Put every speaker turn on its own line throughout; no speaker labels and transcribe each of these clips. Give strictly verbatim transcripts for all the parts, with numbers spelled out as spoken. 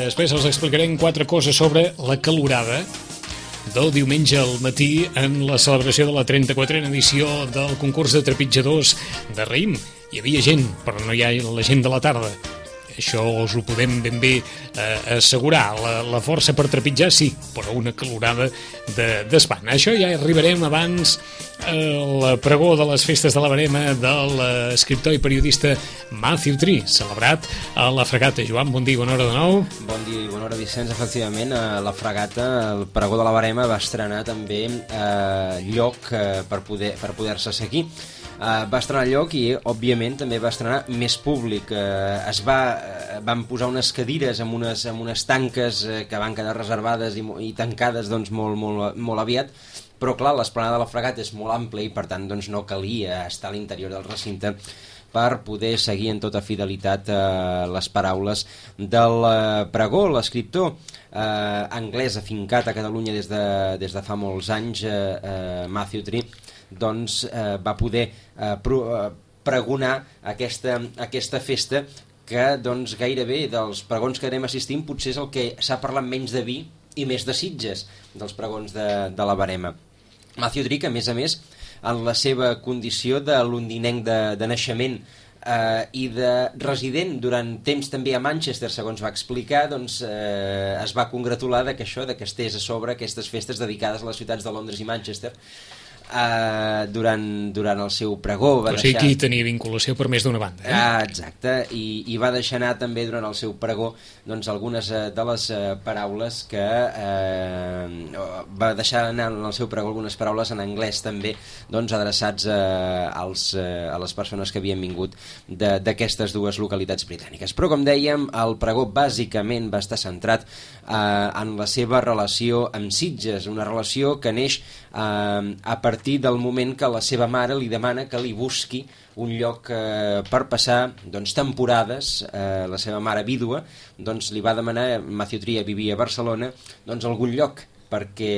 Després us explicarem quatre coses sobre la calorada del diumenge al matí en la celebració de la trenta-quatrena edició del concurs de trepitjadors de Raïm. Hi havia gent, però no hi ha la gent de la tarda. Això us ho podem ben bé eh, assegurar. La, la força per trepitjar, sí, però una calorada d'espant. De, Això ja arribarem abans al eh, pregó de les festes de la Verema de l'escriptor i periodista Matthew Tree, celebrat a la Fragata. Joan, bon dia, bona hora de nou.
Bon dia i bona hora, Vicenç. Efectivament, a la Fragata, el pregó de la Verema va estrenar també eh, lloc eh, per poder per poder-se seguir. Uh, va estrenar lloc i, òbviament, també va estrenar més públic. Uh, es va, uh, van posar unes cadires amb unes, amb unes tanques uh, que van quedar reservades i, i tancades doncs, molt, molt, molt aviat, però, clar, l'esplanada de la Fragata és molt àmplia i, per tant, doncs, no calia estar a l'interior del recinte per poder seguir en tota fidelitat uh, les paraules del uh, pregó. L'escriptor uh, anglès afincat a Catalunya des de, des de fa molts anys, uh, uh, Matthew Tree, doncs eh, va poder eh, pro, eh, pregonar aquesta, aquesta festa que doncs, gairebé dels pregons que anem assistint potser és el que s'ha parlat menys de vi i més de Sitges dels pregons de, de la Verema. Matthew Tree, a més a més, en la seva condició de londinenc de, de naixement eh, i de resident durant temps també a Manchester, segons va explicar, doncs eh, es va congratular de que això, de que estés a sobre aquestes festes dedicades a les ciutats de Londres i Manchester, Uh, durant, durant el seu pregó va
o sigui
deixar...
que hi tenia vinculació per més d'una banda, eh?
uh, exacte, i, i va deixar anar també durant el seu pregó doncs, algunes uh, de les uh, paraules que uh, va deixar anar en el seu pregó algunes paraules en anglès també doncs, adreçats uh, als, uh, a les persones que havien vingut d'aquestes dues localitats britàniques. Però com dèiem, el pregó bàsicament va estar centrat uh, en la seva relació amb Sitges, una relació que neix uh, a partir del moment que la seva mare li demana que li busqui un lloc eh, per passar doncs, temporades. Eh, la seva mare vídua doncs, li va demanar, Matthew Tree vivia a Barcelona, doncs, algun lloc perquè,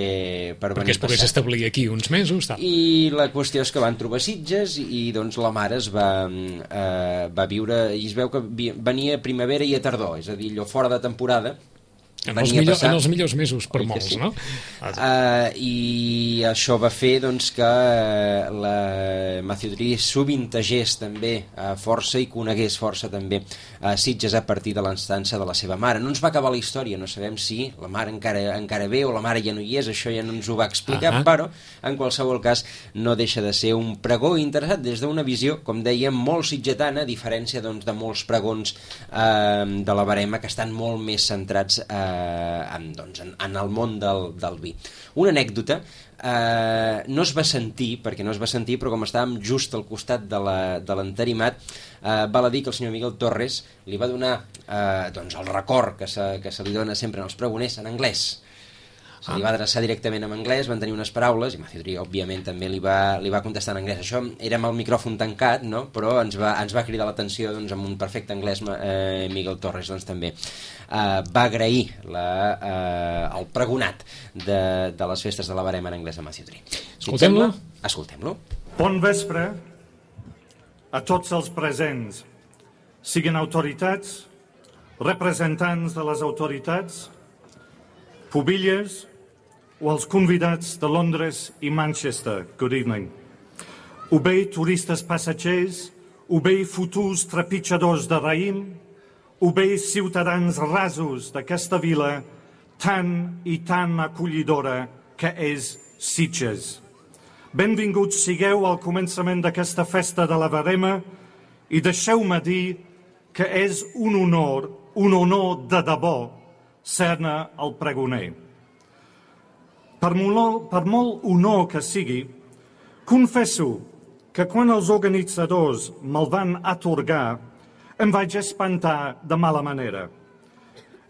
per
perquè es pogués establir aquí uns mesos. Tal.
I la qüestió és que van trobar Sitges i doncs, la mare es va, eh, va viure, i es veu que venia a primavera i a tardor, és a dir, allò fora de temporada.
En els, millor, en els millors mesos per molts, sí? No?
Uh, I això va fer doncs, que la Matthew Tree sovintegés també uh, força i conegués força també uh, Sitges a partir de l'instància de la seva mare. No ens va acabar la història, no sabem si la mare encara, encara ve o la mare ja no hi és, això ja no ens ho va explicar, uh -huh. però en qualsevol cas no deixa de ser un pregó interessat des d'una visió, com dèiem, molt sitgetana, a diferència doncs, de molts pregons uh, de la Verema que estan molt més centrats uh, En, doncs, en, en el món del, del vi. Una anècdota, eh, no es va sentir, perquè no es va sentir, però com estàvem just al costat de l'entarimat, eh, val a dir que el senyor Miguel Torres li va donar eh, doncs, el record que se, que se li dona sempre als pregoners en anglès. Se li va adreçar directament en anglès, van tenir unes paraules, i Matthew Tree, òbviament, també li va, li va contestar en anglès. Això era amb el micròfon tancat, no? Però ens va, ens va cridar l'atenció doncs, amb un perfecte anglès. eh, Miguel Torres doncs, també eh, va agrair la, eh, el pregonat de, de les festes de la Verema en anglès a Matthew Tree.
Escoltem-lo?
Escoltem-lo.
Bon vespre a tots els presents, siguin autoritats, representants de les autoritats, pubilles o els convidats de Londres i Manchester. Good evening. O bé turistes passatgers, o bé futurs trepitjadors de raïm, o bé ciutadans rasos d'aquesta vila tan i tan acollidora que és Sitges. Benvinguts sigueu al començament d'aquesta festa de la Verema i deixeu-me dir que és un honor, un honor de debò, ser-ne el pregoner. Per molt, per molt honor que sigui, confesso que quan els organitzadors me'l van atorgar em vaig espantar de mala manera.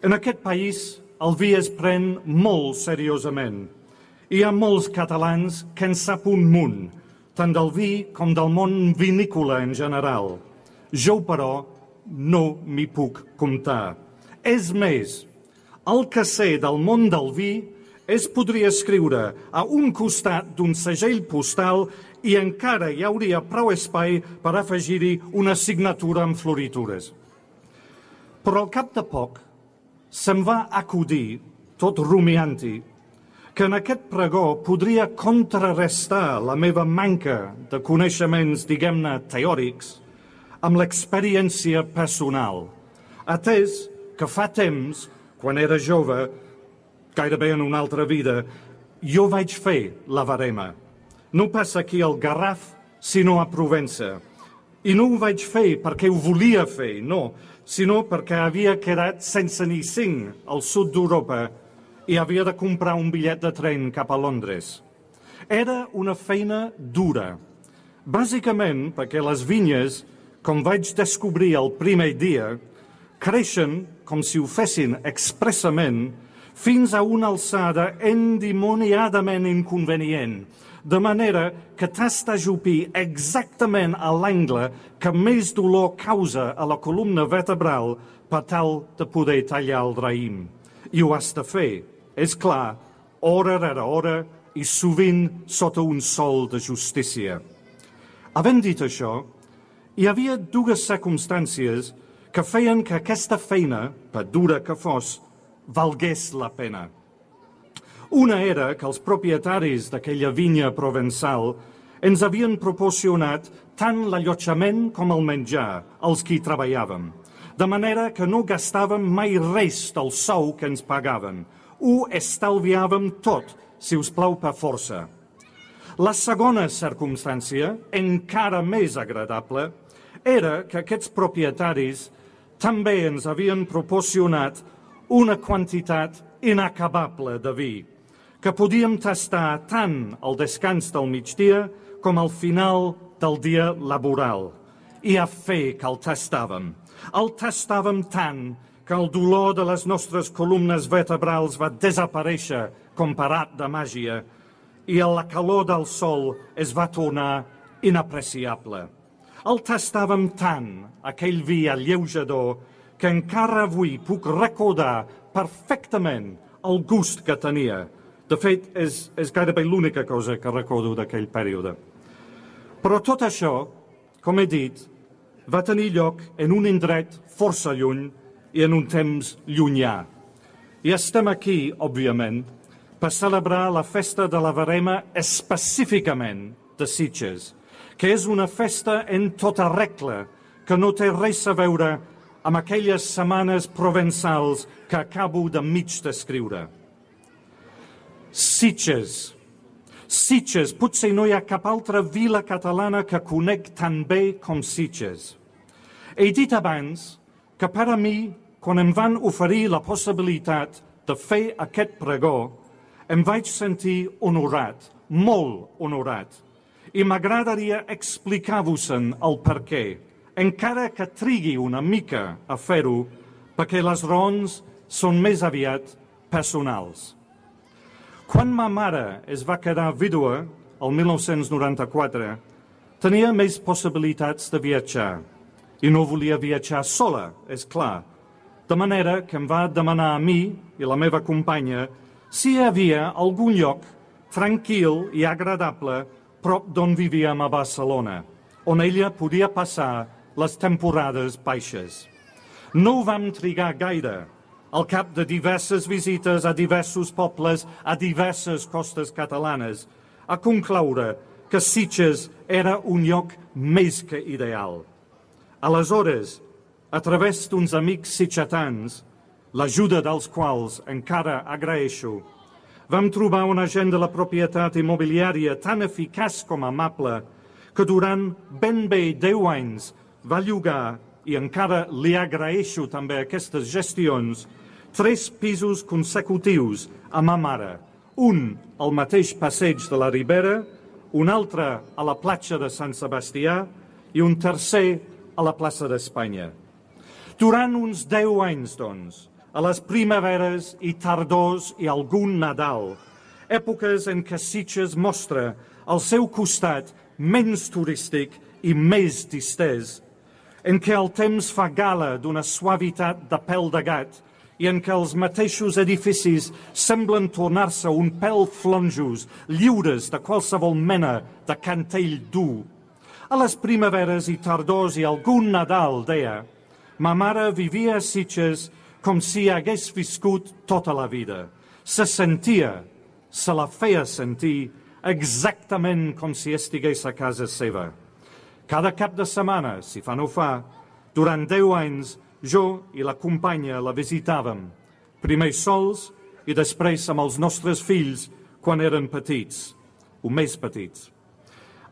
En aquest país el vi es pren molt seriosament. Hi ha molts catalans que en sap un munt, tant del vi com del món vinícola en general. Jo, però, no m'hi puc comptar. És més, El que sé del món del vi es podria escriure a un costat d'un segell postal i encara hi hauria prou espai per afegir-hi una signatura amb floritures. Però al cap de poc se'm va acudir, tot rumiant-hi, que en aquest pregó podria contrarrestar la meva manca de coneixements, diguem-ne, teòrics, amb l'experiència personal, atès que fa temps, quan era jove, gairebé en una altra vida, jo vaig fer la verema. No pas aquí al Garraf, sinó a Provença. I no ho vaig fer perquè ho volia fer, no, sinó perquè havia quedat sense ni cinc al sud d'Europa i havia de comprar un bitllet de tren cap a Londres. Era una feina dura, bàsicament perquè les vinyes, com vaig descobrir el primer dia, creixen com si ho fessin expressament fins a una alçada endimoniadament inconvenient, de manera que t'has d'ajupir exactament a l'angle que més dolor causa a la columna vertebral per tal de poder tallar el raïm. I ho has de fer, és clar, hora rere hora i sovint sota un sol de justícia. Havent dit això, hi havia dues circumstàncies que feien que aquesta feina, per dura que fos, valgués la pena. Una era que els propietaris d'aquella vinya provençal ens havien proporcionat tant l'allotjament com el menjar als qui treballàvem, de manera que no gastàvem mai res del sou que ens pagaven. Ho estalviàvem tot, si us plau per força. La segona circumstància, encara més agradable, era que aquests propietaris també ens havien proporcionat una quantitat inacabable de vi, que podíem tastar tant al descans del migdia com al final del dia laboral. I a fer que el tastàvem. El tastàvem tant que el dolor de les nostres columnes vertebrals va desaparèixer com per art de màgia i la calor del sol es va tornar inapreciable. El tastàvem tant, aquell vi alleujador, que encara avui puc recordar perfectament el gust que tenia. De fet, és, és gairebé l'única cosa que recordo d'aquell període. Però tot això, com he dit, va tenir lloc en un indret força lluny i en un temps llunyà. I estem aquí, òbviament, per celebrar la festa de la verema específicament de Sitges, que és una festa en tota regla, que no té res a veure amb aquelles setmanes provençals que acabo de mig descriure. Sitges. Sitges, potser no hi ha cap altra vila catalana que conec tan bé com Sitges. He dit abans que per a mi, quan em van oferir la possibilitat de fer aquest pregó, em vaig sentir honorat, molt honorat, i m'agradaria explicar-vos-en el perquè, encara que trigui una mica a fer-ho, perquè les raons són més aviat personals. Quan ma mare es va quedar vídua, el mil nou-cents noranta-quatre, tenia més possibilitats de viatjar, i no volia viatjar sola, és clar, de manera que em va demanar a mi i la meva companya si hi havia algun lloc tranquil i agradable prop d'on vivíem a Barcelona, on ella podia passar les temporades baixes. No ho vam trigar gaire, al cap de diverses visites a diversos pobles, a diverses costes catalanes, a concloure que Sitges era un lloc més que ideal. Aleshores, a través d'uns amics sitgetans, l'ajuda dels quals encara agraeixo, vam trobar un agent de la propietat immobiliària tan eficaç com amable que durant ben bé deu anys va llogar, i encara li agraeixo també aquestes gestions, tres pisos consecutius a ma mare, un al mateix passeig de la Ribera, un altre a la platja de Sant Sebastià i un tercer a la plaça d'Espanya. Durant uns deu anys, doncs, a les primaveres i tardors i algun Nadal, èpoques en què Sitges mostra el seu costat menys turístic i més distès, en què el temps fa gala d'una suavitat de pèl de gat i en què els mateixos edificis semblen tornar-se un pèl flonjos, lliures de qualsevol mena de cantell dur. A les primaveres i tardors i algun Nadal, deia, ma mare vivia a Sitges com si hagués viscut tota la vida. Se sentia, se la feia sentir exactament com si estigués a casa seva. Cada cap de setmana, si fa no fa, durant deu anys, jo i la companya la visitàvem, primer sols i després amb els nostres fills quan eren petits, o més petits.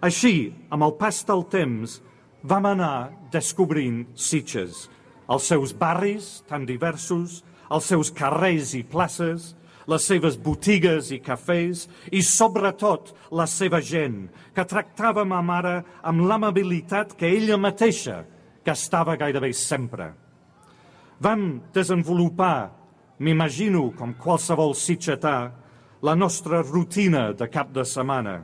Així, amb el pas del temps, vam anar descobrint Sitges, els seus barris tan diversos, els seus carrers i places, les seves botigues i cafès i, sobretot, la seva gent, que tractava ma mare amb l'amabilitat que ella mateixa gastava gairebé sempre. Vam desenvolupar, m'imagino com qualsevol sitgetà, la nostra rutina de cap de setmana.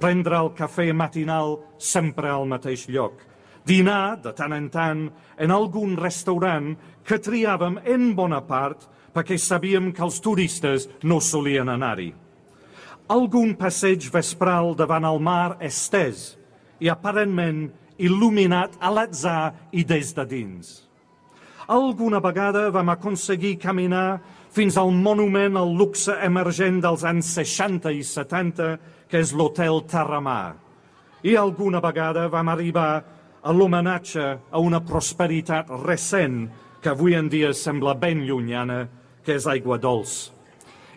Prendre el cafè matinal sempre al mateix lloc. Dinar, de tant en tant, en algun restaurant que triàvem en bona part perquè sabíem que els turistes no solien anar-hi. Algun passeig vespral davant el mar estès i aparentment il·luminat a l'atzar i des de dins. Alguna vegada vam aconseguir caminar fins al monument al luxe emergent dels anys seixanta i setanta, que és l'Hotel Terramar. I alguna vegada vam arribar a l'homenatge a una prosperitat recent que avui en dia sembla ben llunyana, que és Aigua Dols.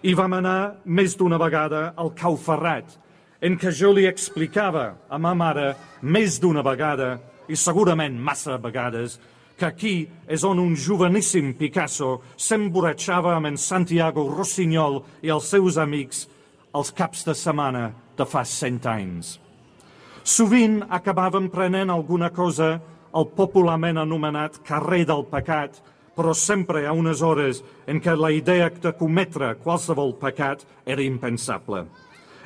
I vam anar més d'una vegada al Cau Ferrat, en què jo li explicava a ma mare més d'una vegada, i segurament massa vegades, que aquí és on un joveníssim Picasso s'emborratxava amb en Santiago Rossinyol i els seus amics els caps de setmana de fa cent anys. Sovint acabàvem prenent alguna cosa al popularment anomenat carrer del pecat, però sempre a unes hores en què la idea de cometre qualsevol pecat era impensable.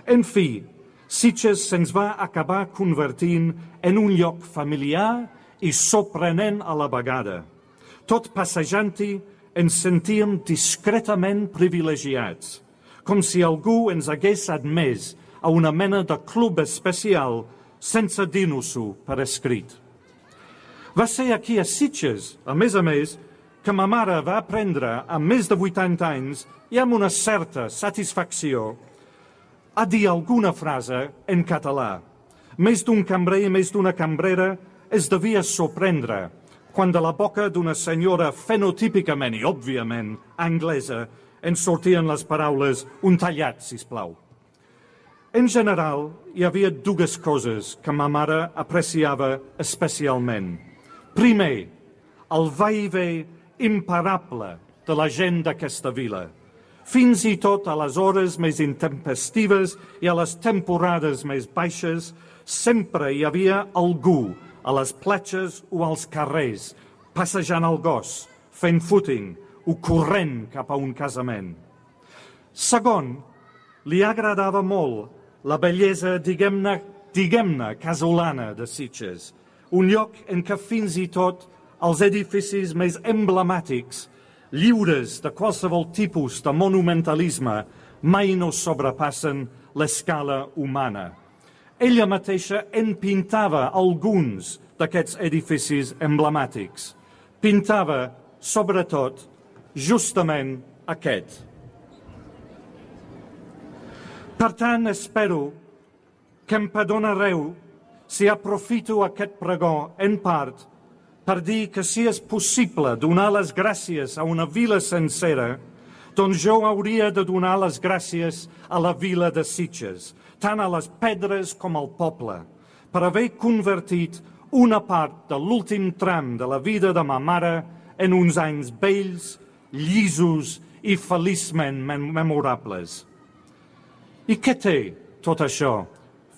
En fi, Sitges se'ns va acabar convertint en un lloc familiar i sorprenent a la vegada. Tot passejant-hi ens sentíem discretament privilegiats, com si algú ens hagués admès a una mena de club especial sense dir-nos-ho per escrit. Va ser aquí a Sitges, a més a més, que ma mare va aprendre amb més de vuitanta anys i amb una certa satisfacció a dir alguna frase en català. Més d'un cambrer i més d'una cambrera es devia sorprendre quan de la boca d'una senyora fenotípicament i òbviament anglesa en sortien les paraules «un tallat, sisplau». En general, hi havia dues coses que ma mare apreciava especialment. Primer, el va-i-ve imparable de la gent d'aquesta vila. Fins i tot a les hores més intempestives i a les temporades més baixes, sempre hi havia algú a les platges o als carrers, passejant el gos, fent footing o corrent cap a un casament. Segon, li agradava molt la bellesa, diguem-ne, diguem-ne, casolana de Sitges, un lloc en què fins i tot els edificis més emblemàtics, lliures de qualsevol tipus de monumentalisme, mai no sobrepassen l'escala humana. Ella mateixa en pintava alguns d'aquests edificis emblemàtics. Pintava, sobretot, justament aquest. Per tant, espero que em perdonareu si aprofito aquest pregó en part per dir que si és possible donar les gràcies a una vila sencera, doncs jo hauria de donar les gràcies a la vila de Sitges, tant a les pedres com al poble, per haver convertit una part de l'últim tram de la vida de ma mare en uns anys bells, llisos i feliçment memorables. I què té tot això?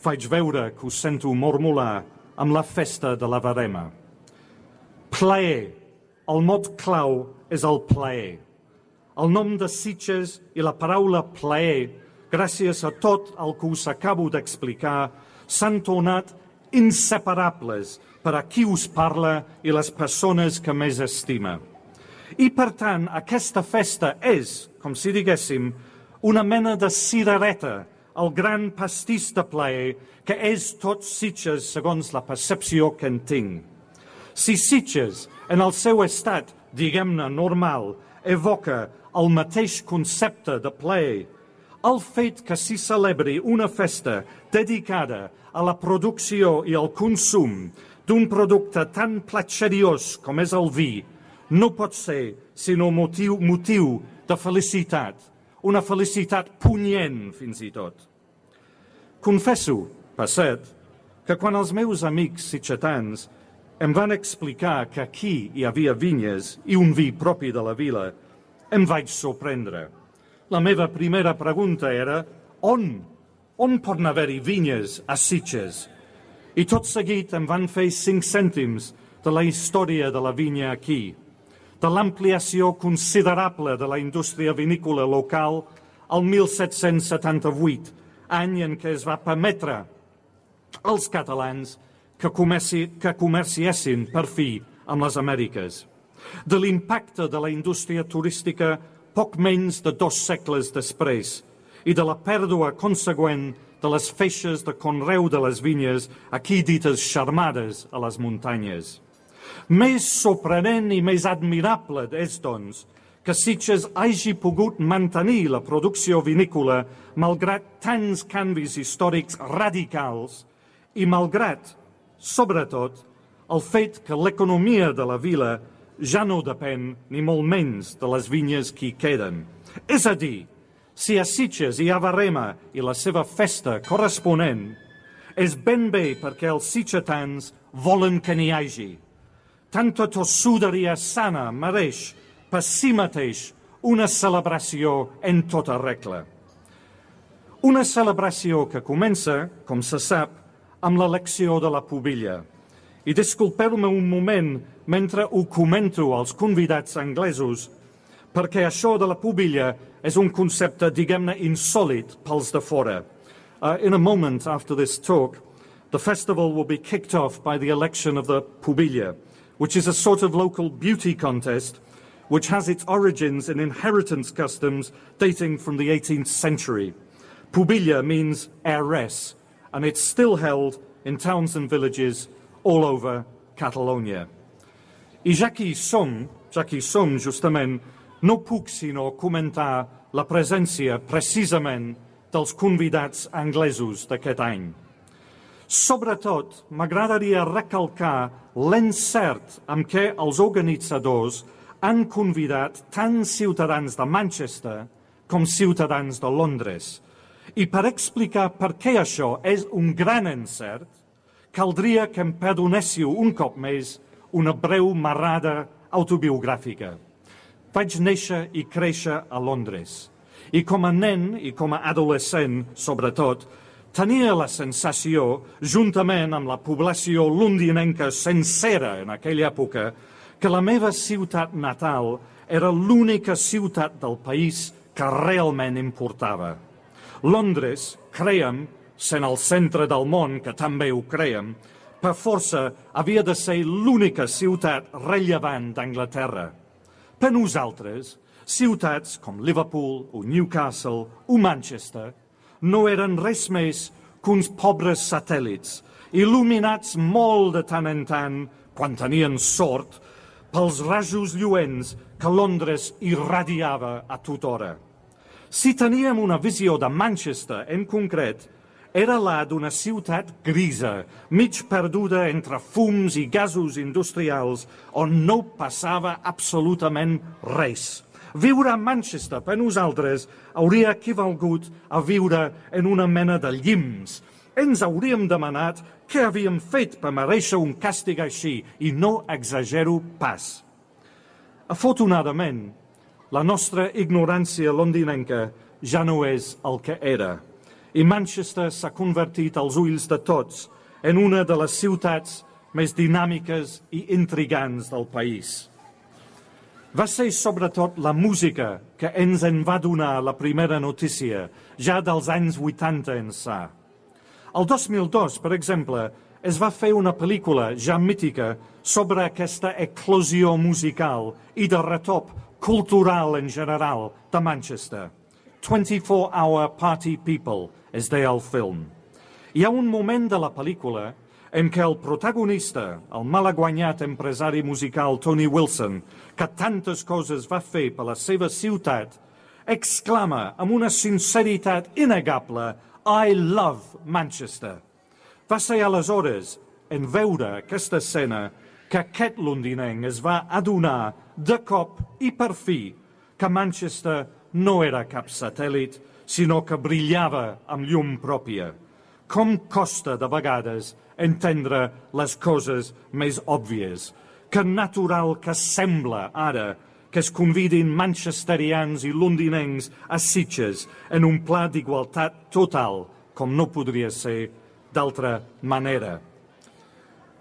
Faig veure que us sento mormolar amb la festa de la Verema. Plaer. El mot clau és el plaer. El nom de Sitges i la paraula plaer, gràcies a tot el que us acabo d'explicar, s'han tornat inseparables per a qui us parla i les persones que més estima. I, per tant, aquesta festa és, com si diguéssim, una mena de cirereta, el gran pastís de plaer, que és tot Sitges segons la percepció que en tinc. Si Sitges, en el seu estat, diguem-ne, normal, evoca el mateix concepte de plaer, el fet que s'hi celebri una festa dedicada a la producció i al consum d'un producte tan platxeriós com és el vi, no pot ser sinó motiu, motiu de felicitat, una felicitat punyent fins i tot. Confesso, per cert, que quan els meus amics sitgetans em van explicar que aquí hi havia vinyes i un vi propi de la vila, em vaig sorprendre. La meva primera pregunta era on? On poden haver-hi vinyes a Sitges? I tot seguit em van fer cinc cèntims de la història de la vinya aquí, de l'ampliació considerable de la indústria vinícola local al mil set-cents setanta-vuit, any en què es va permetre als catalans que, comerci, que comerciessin per fi amb les Amèriques, de l'impacte de la indústria turística poc menys de dos segles després i de la pèrdua consegüent de les feixes de conreu de les vinyes aquí dites xarmades a les muntanyes. Més sorprenent i més admirable és, doncs, que Sitges hagi pogut mantenir la producció vinícola malgrat tants canvis històrics radicals i malgrat, sobretot, el fet que l'economia de la vila ja no depèn ni molt menys de les vinyes que hi queden. És a dir, si a Sitges hi ha Barrema i la seva festa corresponent, és ben bé perquè els sitgetans volen que n'hi hagi. Tanta tossuderia sana mereix per si mateix una celebració en tota regla. Una celebració que comença, com se sap, amb l'elecció de la pubilla. I disculpeu-me un moment mentre ho comento als convidats anglesos, perquè això de la pubilla és un concepte, diguem-ne, insòlit pels de fora. Uh, in a moment after this talk, the festival will be kicked off by the election of the pubilla, which is a sort of local beauty contest which has its origins in inheritance customs dating from the eighteenth century. Pubilla means heiress, and it's still held in towns and villages all over Catalonia. I ja que hi som, ja que hi som justament, no puc sinó comentar la presència precisament dels convidats anglesos d'aquest any. Sobretot, m'agradaria recalcar l'encert amb què els organitzadors han convidat tant ciutadans de Manchester com ciutadans de Londres. I per explicar per què això és un gran encert, caldria que em perdonéssiu un cop més una breu marrada autobiogràfica. Vaig néixer i créixer a Londres. I com a nen i com a adolescent, sobretot, tenia la sensació, juntament amb la població londinenca sencera en aquella època, que la meva ciutat natal era l'única ciutat del país que realment importava. Londres, crèiem, sent el centre del món, que també ho crèiem, per força havia de ser l'única ciutat rellevant d'Anglaterra. Per nosaltres, ciutats com Liverpool o Newcastle o Manchester no eren res més que uns pobres satèl·lits, il·luminats molt de tant en tant, quan tenien sort, pels rajos lluents que Londres irradiava a tota hora. Si teníem una visió de Manchester en concret, era la d'una ciutat grisa, mig perduda entre fums i gasos industrials, on no passava absolutament res. Viure a Manchester per nosaltres hauria equivalgut a viure en una mena de llims. Ens hauríem demanat què havíem fet per mereixer un càstig així, i no exagero pas. Afortunadament, la nostra ignorància londinenca ja no és el que era, i Manchester s'ha convertit als ulls de tots en una de les ciutats més dinàmiques i intrigants del país. Va ser sobretot la música que ens en va donar la primera notícia, ja dels anys vuitanta ençà. El dos mil dos, per exemple, es va fer una pel·lícula ja mítica sobre aquesta eclosió musical i de retop cultural en general de Manchester. twenty-four hour Party People es deia el film. Hi ha un moment de la pel·lícula en què el protagonista, el malaguanyat empresari musical Tony Wilson, que tantes coses va fer per la seva ciutat, exclama amb una sinceritat innegable I love Manchester. Va ser aleshores, en veure aquesta escena, que aquest londinenc es va adonar de cop i per fi que Manchester no era cap satèl·lit, sinó que brillava amb llum pròpia. Com costa de vegades entendre les coses més òbvies. Que natural que sembla ara que es convidin manchesterians i londinencs a Sitges en un pla d'igualtat total, com no podria ser d'altra manera.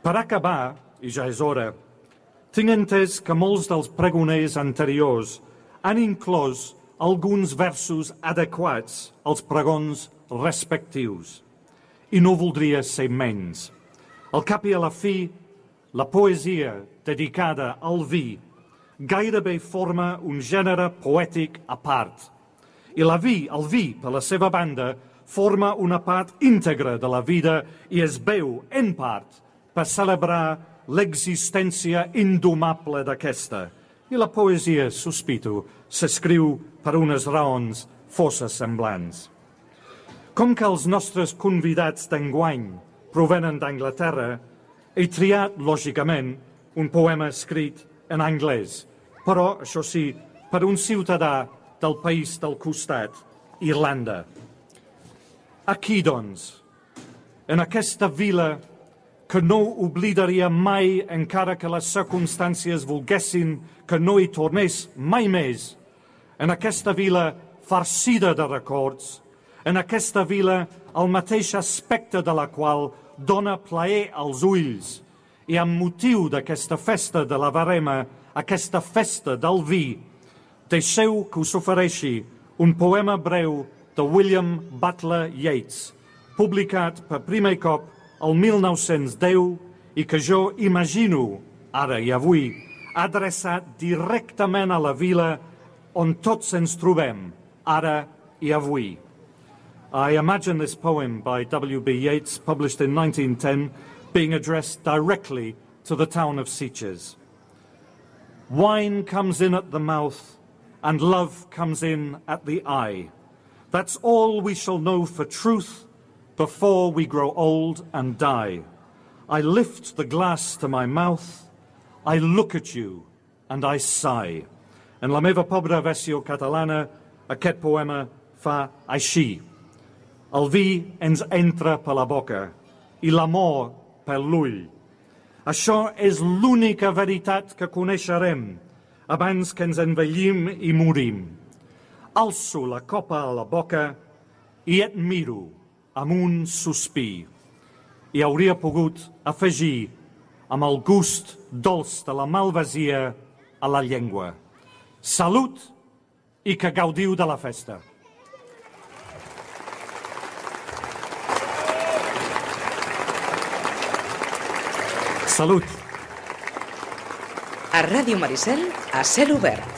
Per acabar, i ja és hora, tinc entès que molts dels pregoners anteriors han inclòs alguns versos adequats als pregons respectius. I no voldria ser menys. Al cap i a la fi, la poesia dedicada al vi gairebé forma un gènere poètic a part. I la vi, el vi, per la seva banda, forma una part íntegra de la vida i es veu, en part, per celebrar l'existència indomable d'aquesta. I la poesia, sospito, s'escriu per unes raons força semblants. Com que els nostres convidats d'enguany provenen d'Anglaterra, he triat, lògicament, un poema escrit en anglès, però, això sí, per un ciutadà del país del costat, Irlanda. Aquí, doncs, en aquesta vila que no oblidaria mai, encara que les circumstàncies volguessin que no hi tornés mai més, en aquesta vila farcida de records, en aquesta vila el mateix aspecte de la qual dona plaer als ulls, i amb motiu d'aquesta festa de la Verema, aquesta festa del vi, deixeu que us ofereixi un poema breu de William Butler Yeats, publicat per primer cop el mil nou-cents deu i que jo imagino, ara i avui, adreçat directament a la vila on tots ens trobem, ara i avui. I imagine this poem by W B Yeats, published in nineteen ten, being addressed directly to the town of Sitges. Wine comes in at the mouth, and love comes in at the eye. That's all we shall know for truth before we grow old and die. I lift the glass to my mouth, I look at you, and I sigh. En la meva pobra versió catalana, aquest poema fa així. El vi ens entra per la boca i l'amor per l'ull. Això és l'única veritat que coneixerem abans que ens envellim i morim. Alço la copa a la boca i et miro amb un sospir. I hauria pogut afegir amb el gust dolç de la malvasia a la llengua. Salut i que gaudiu de la festa. Salut.
A Ràdio Maricel, a cel obert.